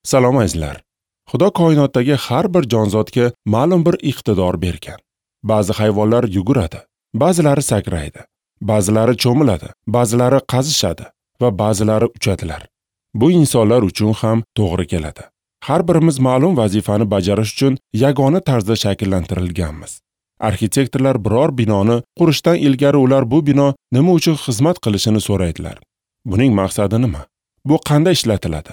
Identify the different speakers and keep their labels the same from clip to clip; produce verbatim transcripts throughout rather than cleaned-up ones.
Speaker 1: Salom azizlar. Xudo koinotdagi har bir jonzotga ma'lum bir iqtidor bergan. Ba'zi hayvonlar yuguradi, ba'zilari sakraydi, ba'zilari cho'miladi, ba'zilari qazishadi va ba'zilari uchadilar. Bu insonlar uchun ham to'g'ri keladi. Har birimiz ma'lum vazifani bajarish uchun yagona tarzda shakllantirilganmiz. Arxitektorlar biror binoni qurishdan ilgari ular bu bino nima uchun xizmat qilishini so'raydilar. Buning maqsadi nima? Bu qanday ishlatiladi?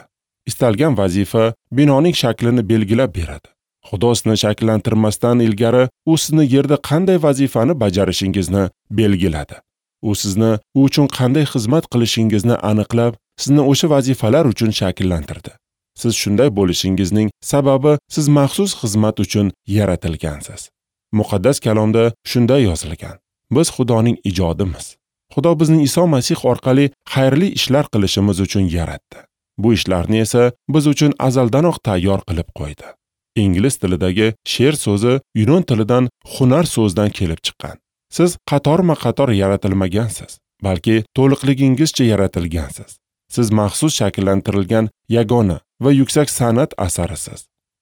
Speaker 1: Istalgan vazifa binoning shaklini belgilab beradi. Xudo sizni shakllantirmasdan ilgari u sizni yerda qanday vazifani bajarishingizni belgiladi. U sizni u uchun qanday xizmat qilishingizni aniqlab, sizni o'sha vazifalar uchun shakllantirdi. Siz shunday bo'lishingizning sababi siz maxsus xizmat uchun yaratilgansiz. Muqaddas kalomda shunday yozilgan: Biz Xudoning ijodimiz. Xudo bizni Iso Masih orqali xayrli ishlar qilishimiz uchun yaratdi. Bu ishlarni esa biz uchun azaldanoq tayyor qilib qo'ydi. Ingliz tilidagi she'r so'zi yunon tilidan hunar so'zidan kelib chiqqan. Siz qatorma-qator yaratilmagansiz, balki to'liqligingizcha yaratilgansiz. Siz maxsus shakllantirilgan yagona va yuksak san'at asarisiz.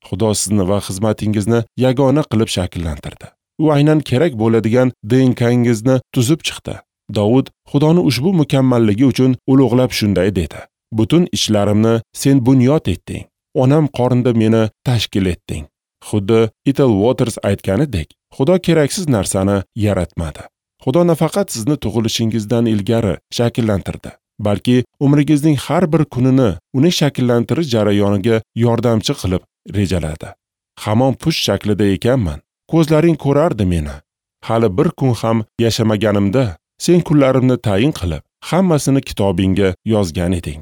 Speaker 1: Xudo sizni va xizmatingizni yagona qilib shakllantirdi. U aynan kerak bo'ladigan D N K-ngizni tuzib chiqdi. Davud Xudoni ushbu mukammalligi uchun ulug'lab shunday dedi: Butun ishlarimni sen bunyod etding. Onam qornida meni tashkil etding. Xuddi Ethel Waters aytganidek, Xudo keraksiz narsani yaratmadi. Xudo nafaqat sizni tug'ilishingizdan ilgari shakllantirdi, balki umringizning har bir kunini uni shakllantirish jarayoniga yordamchi qilib rejaladi. Hamon push shaklida ekanman, ko'zlaring ko'rardi meni. Hali bir kun ham yashamaganimda sen kunlarimni tayin qilib, hammasini kitobingga yozgan eding.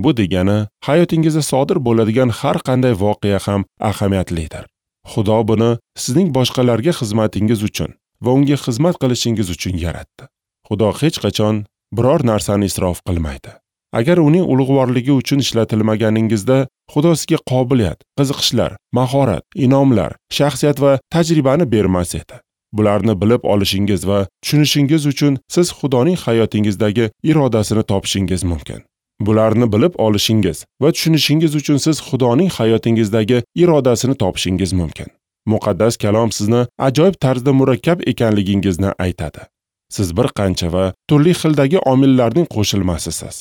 Speaker 1: Bu degani, hayotingizda sodir bo'ladigan har qanday voqea ham ahamiyatlidir. Xudo buni sizning boshqalarga xizmatingiz uchun va unga xizmat qilishingiz uchun yaratdi. Xudo hech qachon biror narsani isrof qilmaydi. Agar uning ulug'vorligi uchun ishlatilmaganingizda, Xudo sizga qobiliyat, qiziqishlar, mahorat, inomlar, shaxsiyat va tajribani bermas edi. Bularni bilib olishingiz va tushunishingiz uchun siz Xudoning hayotingizdagi irodasini topishingiz mumkin. Bularni bilib olishingiz va tushunishingiz uchun siz Xudoning hayotingizdagi irodasini topishingiz mumkin. Muqaddas kalom sizni ajoyib tarzda murakkab ekanligingizni aytadi. Siz bir qancha va turli xildagi omillarning qo'shilmasisiz.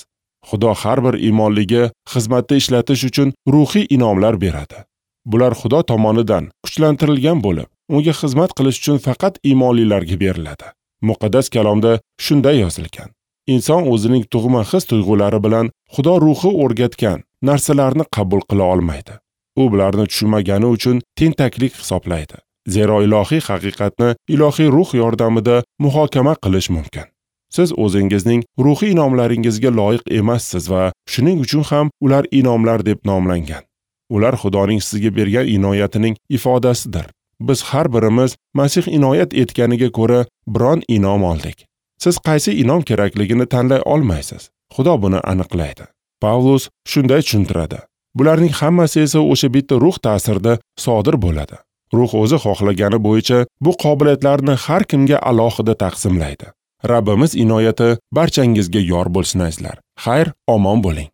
Speaker 1: Xudo har bir iymonliga xizmatda ishlatish uchun ruhiy inomlar beradi. Bular Xudo tomonidan kuchlantirilgan bo'lib, unga xizmat qilish uchun faqat iymonlilarga beriladi. Muqaddas kalomda shunday yozilgan: Inson o'zining tug'ma his-tuyg'ulari bilan Xudo ruhi o'rgatgan narsalarni qabul qila olmaydi. U bularni tushunmagani uchun tentaklik hisoblaydi. Zero ilohiy haqiqatni ilohiy ruh yordamida muhokama qilish mumkin. Siz o'zingizning ruhiy inomlaringizga loyiq emassiz va shuning uchun ham ular inomlar deb nomlangan. Ular Xudoning sizga bergan inoyatining ifodasidir. Biz har birimiz Masih inoyat etganiga ko'ra biron inom oldik. Siz qaysi inom kerakligini tanlay olmaysiz. Xudo buni aniqlaydi. Pavlus shunday tushuntiradi: Bularning hammasi esa o'sha bitta ruh ta'sirida sodir bo'ladi. Ruh o'zi xohlagani bo'yicha bu qobiliyatlarni har kimga alohida taqsimlaydi. Rabbimiz inoyati barchangizga yor bo'lsin azizlar. Xayr, omon bo'ling.